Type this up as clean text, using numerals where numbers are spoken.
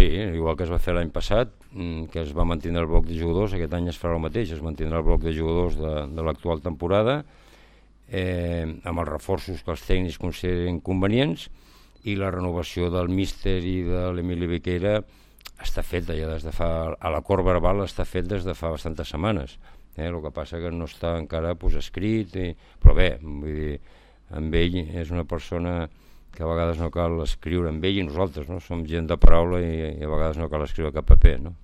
Sí, igual que es va fer l'any passat, que es va mantenir el bloc de jugadors, aquest any es farà el mateix, es mantindrà el bloc de jugadors de l'actual temporada, amb els reforços que els tècnics consideren convenients, i la renovació del míster i de l'Emili Viqueira està feta ja des de fa... A l'acord verbal està fet des de fa bastantes setmanes. El que passa que no està encara escrit, però bé, vull dir, amb ell és una persona que a vegades no cal escriure amb ell, i nosaltres, no? Som gent de paraula i a vegades no cal escriure cap paper, no?